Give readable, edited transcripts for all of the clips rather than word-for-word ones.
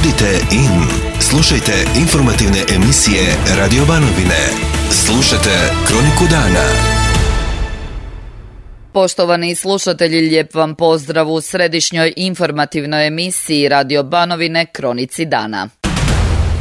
Budite in. Slušajte informativne emisije Radio Banovine. Slušajte Kroniku dana. Poštovani slušatelji, lijep vam pozdrav u središnjoj informativnoj emisiji Radio Banovine Kronici dana.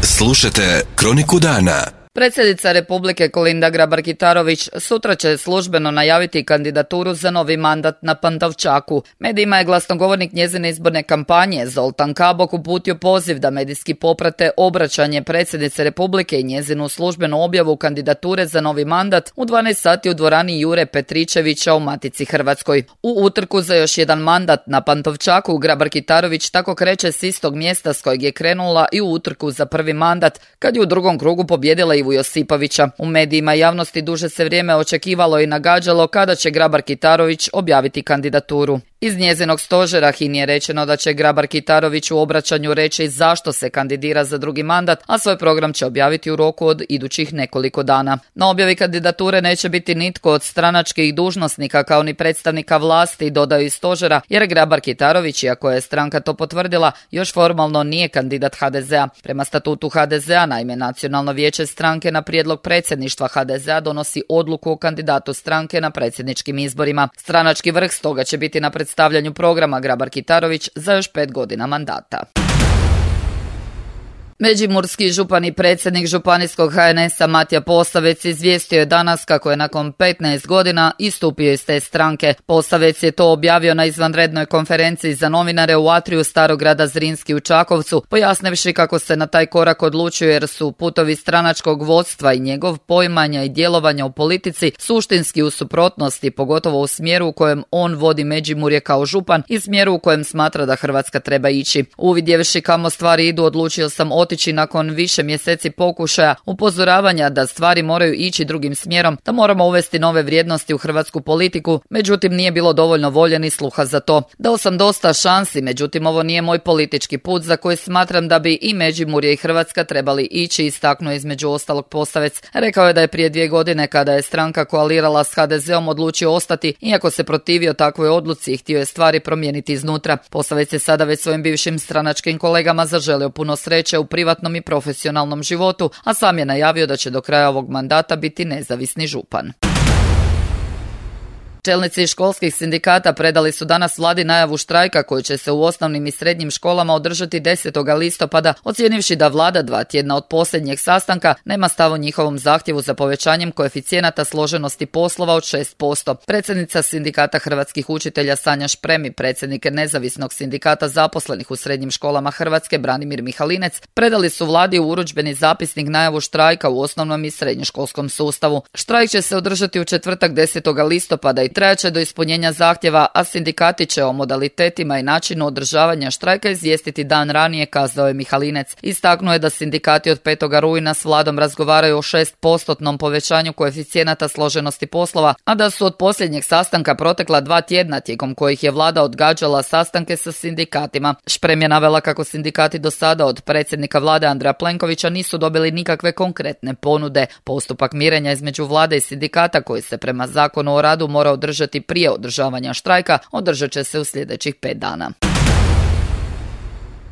Slušajte Kroniku dana. Predsjednica Republike Kolinda Grabar-Kitarović sutra će službeno najaviti kandidaturu za novi mandat na Pantovčaku. Medijima je glasnogovornik njezine izborne kampanje Zoltan Kabok uputio poziv da medijski poprate obraćanje predsjednice Republike i njezinu službenu objavu kandidature za novi mandat u 12 sati u dvorani Jure Petričevića u Matici Hrvatskoj. U utrku za još jedan mandat na Pantovčaku Grabar-Kitarović tako kreće s istog mjesta s kojeg je krenula i u utrku za prvi mandat, kad je u drugom krugu pobjedila Ivu Josipovića. U medijima i javnosti duže se vrijeme očekivalo i nagađalo kada će Grabar-Kitarović objaviti kandidaturu. Iz njezinog stožera HINA-i je rečeno da će Grabar-Kitarović u obraćanju reći zašto se kandidira za drugi mandat, a svoj program će objaviti u roku od idućih nekoliko dana. Na objavi kandidature neće biti nitko od stranačkih dužnosnika kao ni predstavnika vlasti, dodaju iz stožera, jer Grabar-Kitarović, iako je stranka to potvrdila, još formalno nije kandidat HDZ-a. Prema statutu HDZ-a, naime, Nacionalno vijeće stranke na prijedlog predsjedništva HDZ-a donosi odluku o kandidatu stranke na predsjedničkim izborima. Stranački vrh stoga će biti na predstavljanju programa Grabar-Kitarović za još 5 godina mandata. Međimurski župan i predsjednik županijskog HNS-a Matija Posavec izvijestio je danas kako je nakon 15 godina istupio iz te stranke. Posavec je to objavio na izvanrednoj konferenciji za novinare u atriju Starog grada Zrinski u Čakovcu, pojasnivši kako se na taj korak odlučio jer su putovi stranačkog vodstva i njegov poimanja i djelovanja u politici suštinski u suprotnosti, pogotovo u smjeru u kojem on vodi Međimurje kao župan i smjeru u kojem smatra da Hrvatska treba ići. Uvidjevši kamo stvari idu, odlučio sam otići nakon više mjeseci pokušaja upozoravanja da stvari moraju ići drugim smjerom, da moramo uvesti nove vrijednosti u hrvatsku politiku, međutim nije bilo dovoljno volje ni sluha za to. Dao sam dosta šansi, međutim ovo nije moj politički put za koji smatram da bi i Međimurje i Hrvatska trebali ići, istaknuo između ostalog Posavec. Rekao je da je prije 2 godine kada je stranka koalirala s HDZ-om odlučio ostati, iako se protivio takvoj odluci i htio je stvari promijeniti iznutra. Posavec je sada već svojim bivšim stranačkim kolegama zaželio puno sreće u privatnom i profesionalnom životu, a sam je najavio da će do kraja ovog mandata biti nezavisni župan. Čelnici školskih sindikata predali su danas vladi najavu štrajka koji će se u osnovnim i srednjim školama održati 10. listopada, ocijenivši da vlada 2 tjedna od posljednjeg sastanka nema stav o njihovom zahtjevu za povećanjem koeficijenata složenosti poslova od 6%. Predsjednica sindikata hrvatskih učitelja Sanja Šprem i predsjednik nezavisnog sindikata zaposlenih u srednjim školama Hrvatske Branimir Mihalinec predali su vladi u urudžbeni zapisnik najavu štrajka u osnovnom i srednjoškolskom sustavu. Štrajk će se održati u četvrtak 10. listopada i trajaće do ispunjenja zahtjeva, a sindikati će o modalitetima i načinu održavanja štrajka izvijestiti dan ranije, kazao je Mihalinec. Istaknuo je da sindikati od 5. rujna s vladom razgovaraju o 6% povećanju koeficijenata složenosti poslova, a da su od posljednjeg sastanka protekla 2 tjedna tijekom kojih je vlada odgađala sastanke sa sindikatima. Šprem je navela kako sindikati do sada od predsjednika vlade Andreja Plenkovića nisu dobili nikakve konkretne ponude. Postupak mirenja između vlade i sindikata, koji se prema Zakonu o radu mora održati prije održavanja štrajka, održat će se u sljedećih 5 dana.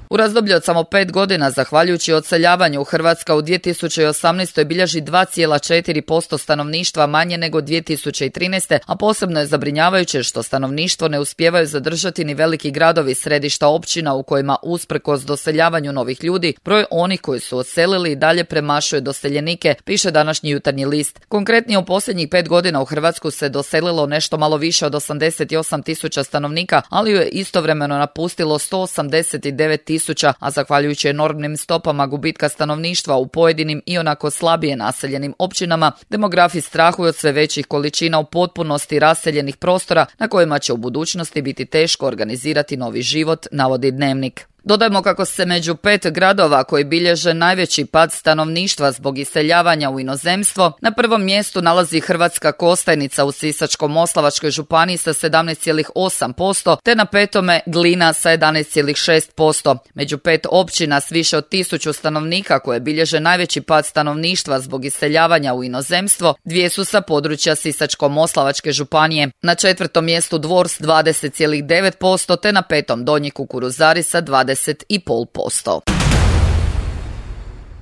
U razdoblju od samo 5 godina, zahvaljujući odseljavanju, Hrvatska u 2018. bilježi 2,4% stanovništva manje nego 2013. a posebno je zabrinjavajuće što stanovništvo ne uspijevaju zadržati ni veliki gradovi, središta općina u kojima usprkos doseljavanju novih ljudi, broj onih koji su odselili i dalje premašuje doseljenike, piše današnji Jutarnji list. Konkretnije, u posljednjih 5 godina u Hrvatsku se doselilo nešto malo više od 88.000 stanovnika, ali ju je istovremeno napustilo 189.000, a zahvaljujući enormnim stopama gubitka stanovništva u pojedinim i onako slabije naseljenim općinama, demografi strahuju od sve većih količina u potpunosti raseljenih prostora na kojima će u budućnosti biti teško organizirati novi život, navodi Dnevnik. Dodajmo kako se među 5 gradova koji bilježe najveći pad stanovništva zbog iseljavanja u inozemstvo, na prvom mjestu nalazi Hrvatska Kostajnica u Sisačko-moslavačkoj županiji sa 17,8%, te na 5. Glina sa 11,6%. Među 5 općina s više od 1000 stanovnika koje bilježe najveći pad stanovništva zbog iseljavanja u inozemstvo, 2 su sa područja Sisačko-moslavačke županije. Na 4. mjestu Dvor s 20,9%, te na 5. Donji Kukuruzari sa 20,5%.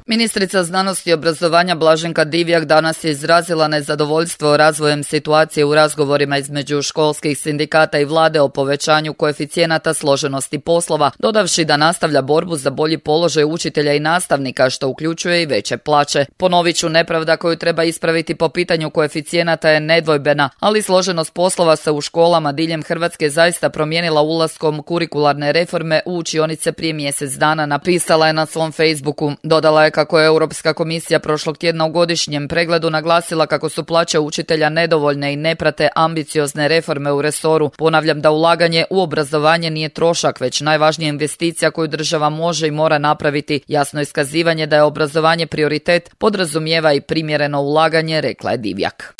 Ministrica znanosti i obrazovanja Blaženka Divjak danas je izrazila nezadovoljstvo razvojem situacije u razgovorima između školskih sindikata i vlade o povećanju koeficijenata složenosti poslova, dodavši da nastavlja borbu za bolji položaj učitelja i nastavnika, što uključuje i veće plaće. Ponovit ću, nepravda koju treba ispraviti po pitanju koeficijenata je nedvojbena, ali složenost poslova se u školama diljem Hrvatske zaista promijenila ulaskom kurikularne reforme u učionice prije mjesec dana, napisala je na svom Facebooku. Dodala je kako je Europska komisija prošlog tjedna u godišnjem pregledu naglasila kako su plaće učitelja nedovoljne i ne prate ambiciozne reforme u resoru. Ponavljam da ulaganje u obrazovanje nije trošak, već najvažnija investicija koju država može i mora napraviti. Jasno iskazivanje da je obrazovanje prioritet podrazumijeva i primjereno ulaganje, rekla je Divjak.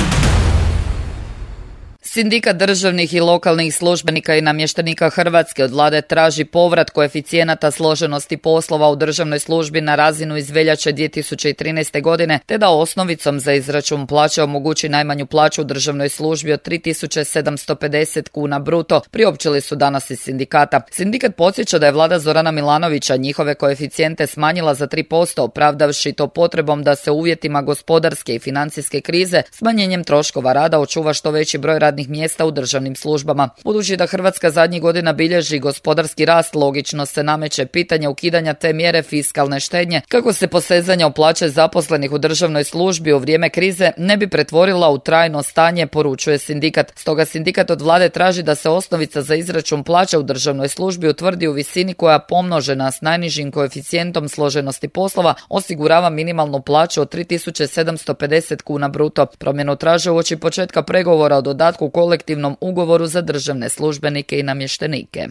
Sindikat državnih i lokalnih službenika i namještenika Hrvatske od vlade traži povrat koeficijenata složenosti poslova u državnoj službi na razinu iz veljače 2013. godine, te da osnovicom za izračun plaće omogući najmanju plaću u državnoj službi od 3.750 kuna bruto, priopćili su danas iz sindikata. Sindikat podsjeća da je vlada Zorana Milanovića njihove koeficijente smanjila za 3%, opravdavši to potrebom da se u uvjetima gospodarske i financijske krize smanjenjem troškova rada očuva što veći broj radnih mjesta u državnim službama. Budući da Hrvatska zadnjih godina bilježi gospodarski rast, logično se nameće pitanje ukidanja te mjere fiskalne štednje, kako se posezanje o plaće zaposlenih u državnoj službi u vrijeme krize ne bi pretvorila u trajno stanje, poručuje sindikat. Stoga sindikat od vlade traži da se osnovica za izračun plaća u državnoj službi utvrdi u visini koja pomnožena s najnižim koeficijentom složenosti poslova osigurava minimalnu plaću od 3.750 kuna bruto. Promjenu traže uoči početka pregovora o dodatku kolektivnom ugovoru za državne službenike i namještenike.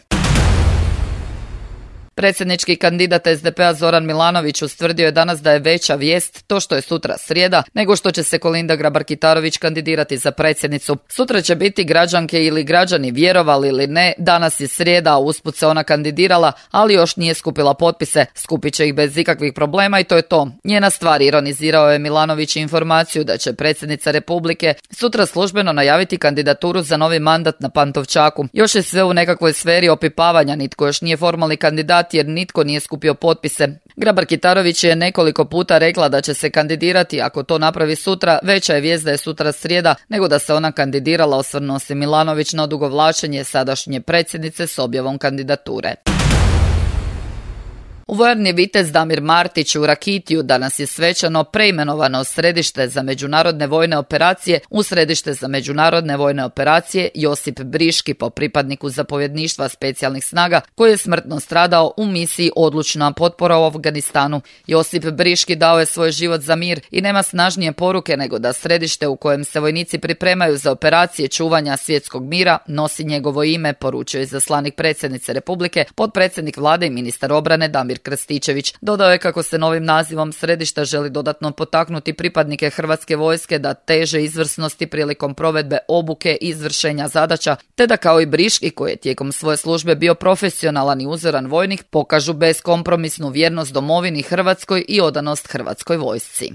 Predsjednički kandidat SDP-a Zoran Milanović ustvrdio je danas da je veća vijest to što je sutra srijeda nego što će se Kolinda Grabar-Kitarović kandidirati za predsjednicu. Sutra će biti građanke ili građani, vjerovali ili ne, danas je srijeda, a usput se ona kandidirala, ali još nije skupila potpise. Skupit će ih bez ikakvih problema i to je to. Njena stvar, ironizirao je Milanović informaciju da će predsjednica Republike sutra službeno najaviti kandidaturu za novi mandat na Pantovčaku. Još je sve u nekakvoj sferi opipavanja, nitko još nije formalni kandidat jer nitko nije skupio potpise. Grabar-Kitarović je nekoliko puta rekla da će se kandidirati, ako to napravi sutra, veća je vijest da je sutra srijeda nego da se ona kandidirala, osvrnuo se Milanović na odugovlačenje sadašnje predsjednice s objavom kandidature. U vojarni Vitez Damir Martić u Rakitiju danas je svečano preimenovano središte za međunarodne vojne operacije u središte za međunarodne vojne operacije Josip Briški po pripadniku zapovjedništva specijalnih snaga koji je smrtno stradao u misiji Odlučna potpora u Afganistanu. Josip Briški dao je svoj život za mir i nema snažnije poruke nego da središte u kojem se vojnici pripremaju za operacije čuvanja svjetskog mira nosi njegovo ime, poručio je izaslanik predsjednice Republike, potpredsjednik vlade i ministar obrane Damir Krstičević. Dodao je kako se novim nazivom središta želi dodatno potaknuti pripadnike Hrvatske vojske da teže izvrsnosti prilikom provedbe obuke i izvršenja zadaća, te da kao i Briški, koji je tijekom svoje službe bio profesionalan i uzoran vojnik, pokažu beskompromisnu vjernost domovini Hrvatskoj i odanost Hrvatskoj vojsci.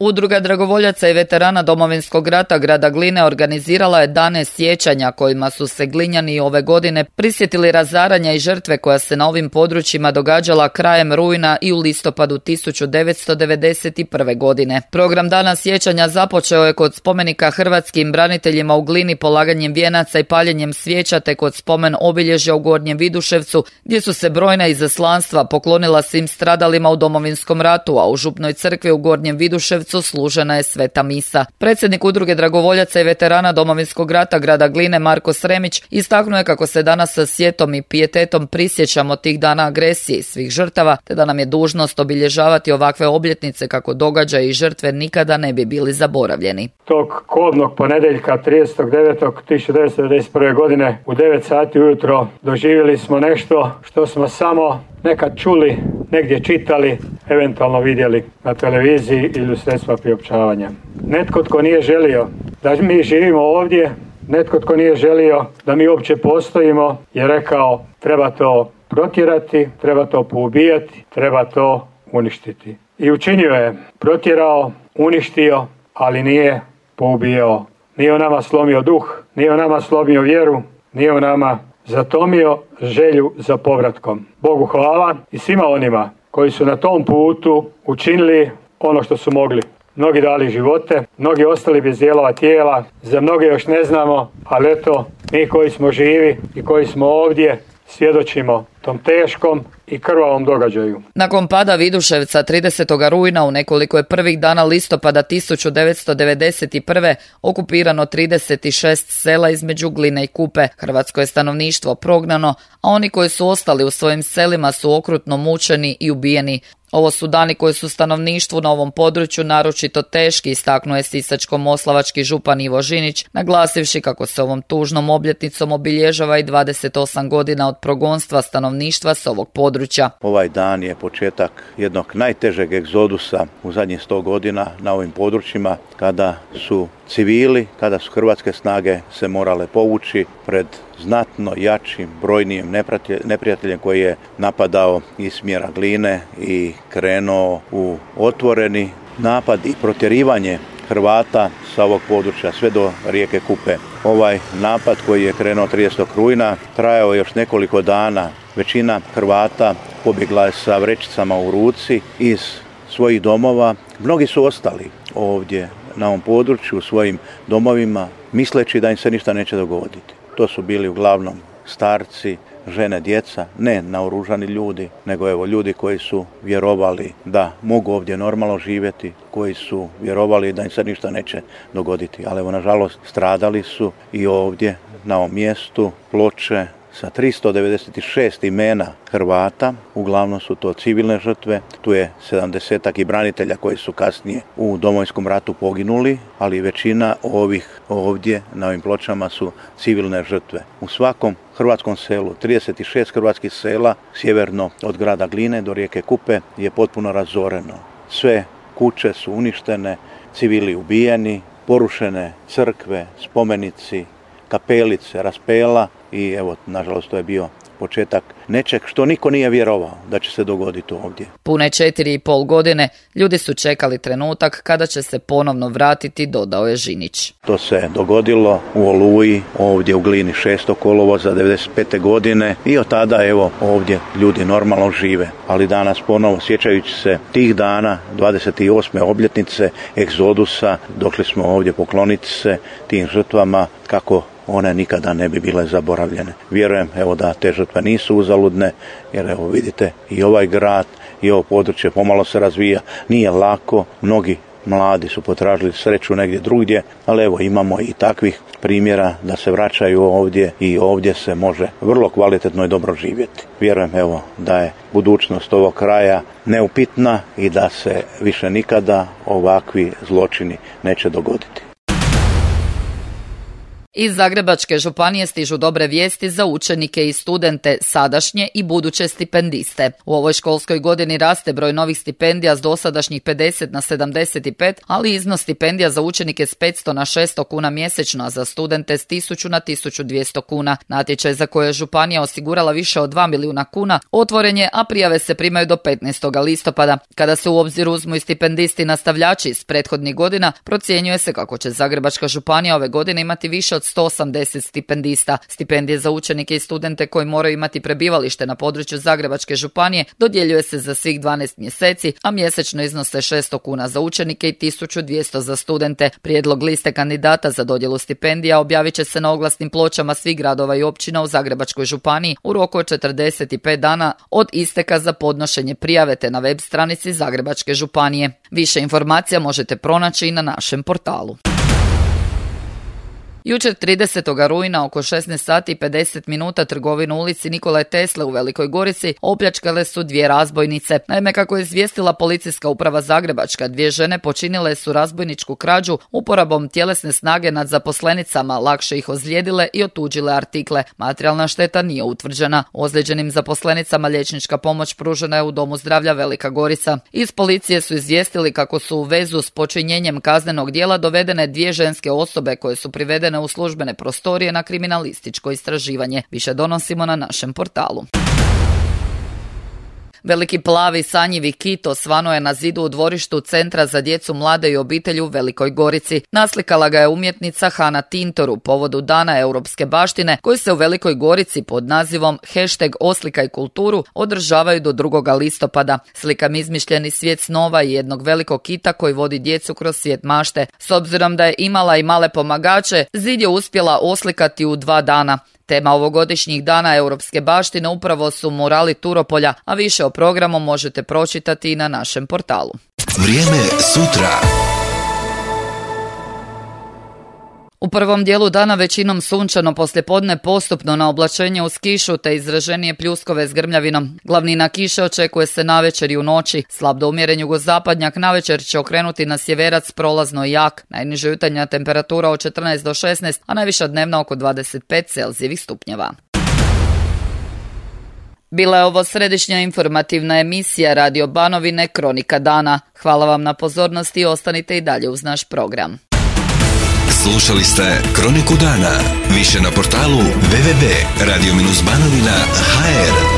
Udruga dragovoljaca i veterana Domovinskog rata grada Gline organizirala je dane sjećanja kojima su se Glinjani ove godine prisjetili razaranja i žrtve koja se na ovim područjima događala krajem rujna i u listopadu 1991. godine. Program dana sjećanja započeo je kod spomenika hrvatskim braniteljima u Glini polaganjem vijenaca i paljenjem svijeća, te kod spomen obilježja u Gornjem Viduševcu gdje su se brojna izaslanstva poklonila svim stradalima u Domovinskom ratu, a u Župnoj crkvi u Gornjem Viduševcu služena je sveta misa. Predsjednik Udruge dragovoljaca i veterana Domovinskog rata grada Gline Marko Sremić istaknuo je kako se danas sa sjetom i pijetetom prisjećamo tih dana agresije i svih žrtava, te da nam je dužnost obilježavati ovakve obljetnice kako događaji i žrtve nikada ne bi bili zaboravljeni. Tog kobnog ponedjeljka 30.9.1991. godine u 9 sati ujutro doživjeli smo nešto što smo samo nekad čuli, negdje čitali, eventualno vidjeli na televiziji ili u sredstva priopćavanja. Netko tko nije želio da mi živimo ovdje, netko tko nije želio da mi uopće postojimo je rekao treba to protjerati, treba to poubijati, treba to uništiti. I učinio je, protjerao, uništio, ali nije poubijao. Nije u nama slomio duh, nije u nama slomio vjeru, nije u nama zatomio želju za povratkom. Bogu hvala i svima onima koji su na tom putu učinili ono što su mogli. Mnogi dali živote, mnogi ostali bez dijelova tijela, za mnoge još ne znamo, ali eto, mi koji smo živi i koji smo ovdje svjedočimo tom teškom i krvavom događaju. Nakon pada Viduševca 30. rujna u nekoliko je prvih dana listopada 1991. okupirano 36 sela između Gline i Kupe. Hrvatsko je stanovništvo prognano, a oni koji su ostali u svojim selima su okrutno mučeni i ubijeni. Ovo su dani koji su stanovništvu na ovom području naročito teški, istaknuo je sisačko-moslavački župan Ivo Žinić, naglasivši kako se ovom tužnom obljetnicom obilježava i 28 godina od progonstva stanovništva s ovog područja. Ovaj dan je početak jednog najtežeg egzodusa u zadnjih 100 godina na ovim područjima, kada su civili, kada su hrvatske snage se morale povući pred znatno jačim, brojnijim neprijateljem koji je napadao iz smjera Gline i krenuo u otvoreni napad i protjerivanje Hrvata sa ovog područja sve do rijeke Kupe. Ovaj napad koji je krenuo 30. rujna trajao još nekoliko dana. Većina Hrvata pobjegla je sa vrećicama u ruci iz svojih domova. Mnogi su ostali ovdje na ovom području u svojim domovima misleći da im se ništa neće dogoditi. To su bili uglavnom starci, žene, djeca, ne naoružani ljudi, nego evo ljudi koji su vjerovali da mogu ovdje normalno živjeti, koji su vjerovali da im se ništa neće dogoditi. Ali evo, nažalost, stradali su i ovdje na ovom mjestu ploče sa 396 imena Hrvata, uglavnom su to civilne žrtve, tu je 70-ak i branitelja koji su kasnije u Domovinskom ratu poginuli, ali većina ovih ovdje na ovim pločama su civilne žrtve. U svakom hrvatskom selu, 36 hrvatskih sela, sjeverno od grada Gline do rijeke Kupe, je potpuno razoreno. Sve kuće su uništene, civili ubijeni, porušene crkve, spomenici, kapelice, raspela i evo, nažalost, to je bio početak nečeg što niko nije vjerovao da će se dogoditi ovdje. Pune 4,5 godine ljudi su čekali trenutak kada će se ponovno vratiti, dodao je Žinić. To se dogodilo u Oluji, ovdje u Glini 6. kolovoza 95. godine i od tada evo ovdje ljudi normalno žive. Ali danas ponovo, sjećajući se tih dana, 28. obljetnice egzodusa, došli smo ovdje pokloniti se tim žrtvama kako one nikada ne bi bile zaboravljene. Vjerujem evo da te žrtve nisu uzaludne, jer evo vidite i ovaj grad i ovo područje pomalo se razvija. Nije lako, mnogi mladi su potražili sreću negdje drugdje, ali evo imamo i takvih primjera da se vraćaju ovdje i ovdje se može vrlo kvalitetno i dobro živjeti. Vjerujem evo da je budućnost ovog kraja neupitna i da se više nikada ovakvi zločini neće dogoditi. Iz Zagrebačke županije stižu dobre vijesti za učenike i studente, sadašnje i buduće stipendiste. U ovoj školskoj godini raste broj novih stipendija s dosadašnjih 50 na 75, ali iznos stipendija za učenike s 500 na 600 kuna mjesečno, a za studente s 1000 na 1200 kuna. Natječaj za koje je županija osigurala više od 2 milijuna kuna otvoren je, a prijave se primaju do 15. listopada. Kada se u obzir uzmu i stipendisti nastavljači iz prethodnih godina, procjenjuje se kako će Zagrebačka županija ove godine imati više od 180 stipendista. Stipendije za učenike i studente koji moraju imati prebivalište na području Zagrebačke županije dodjeljuje se za svih 12 mjeseci, a mjesečno iznose 600 kuna za učenike i 1200 za studente. Prijedlog liste kandidata za dodjelu stipendija objavit će se na oglasnim pločama svih gradova i općina u Zagrebačkoj županiji u roku od 45 dana od isteka za podnošenje prijave, te na web stranici Zagrebačke županije. Više informacija možete pronaći i na našem portalu. Jučer 30. rujna oko 16 sati i 50 minuta trgovinu u ulici Nikole Tesle u Velikoj Gorici opljačkale su dvije razbojnice. Naime, kako je izvijestila policijska uprava Zagrebačka, dvije žene počinile su razbojničku krađu uporabom tjelesne snage nad zaposlenicama, lakše ih ozlijedile i otuđile artikle. Materijalna šteta nije utvrđena. Ozlijeđenim zaposlenicama liječnička pomoć pružena je u Domu zdravlja Velika Gorica. Iz policije su izvijestili kako su u vezu s počinjenjem kaznenog djela dovedene dvije ženske osobe koje su privedene u službene prostorije na kriminalističko istraživanje. Više donosimo na našem portalu. Veliki plavi sanjivi kit osvano je na zidu u dvorištu Centra za djecu, mlade i obitelj u Velikoj Gorici. Naslikala ga je umjetnica Hana Tintor u povodu Dana europske baštine koji se u Velikoj Gorici pod nazivom #Oslikaj kulturu održavaju do 2. listopada. Slikam izmišljeni svijet snova i jednog velikog kita koji vodi djecu kroz svijet mašte. S obzirom da je imala i male pomagače, zid je uspjela oslikati u 2 dana. Tema ovogodišnjih Dana europske baštine upravo su murali Turopolja, a više o programu možete pročitati i na našem portalu. Vrijeme sutra. U prvom dijelu dana većinom sunčano, poslijepodne postupno na oblačenje uz kišu te izraženije pljuskove s grmljavinom. Glavnina kiše očekuje se navečer i u noći. Slab do umjeren jugozapadnjak navečer će okrenuti na sjeverac prolazno i jak. Najniža jutarnja temperatura od 14 do 16, a najviša dnevna oko 25 Celzijevih stupnjeva. Bila je ovo središnja informativna emisija Radio Banovine Kronika dana. Hvala vam na pozornosti i ostanite i dalje uz naš program. Slušali ste Kroniku dana. Više na portalu www.radio-banovina.hr.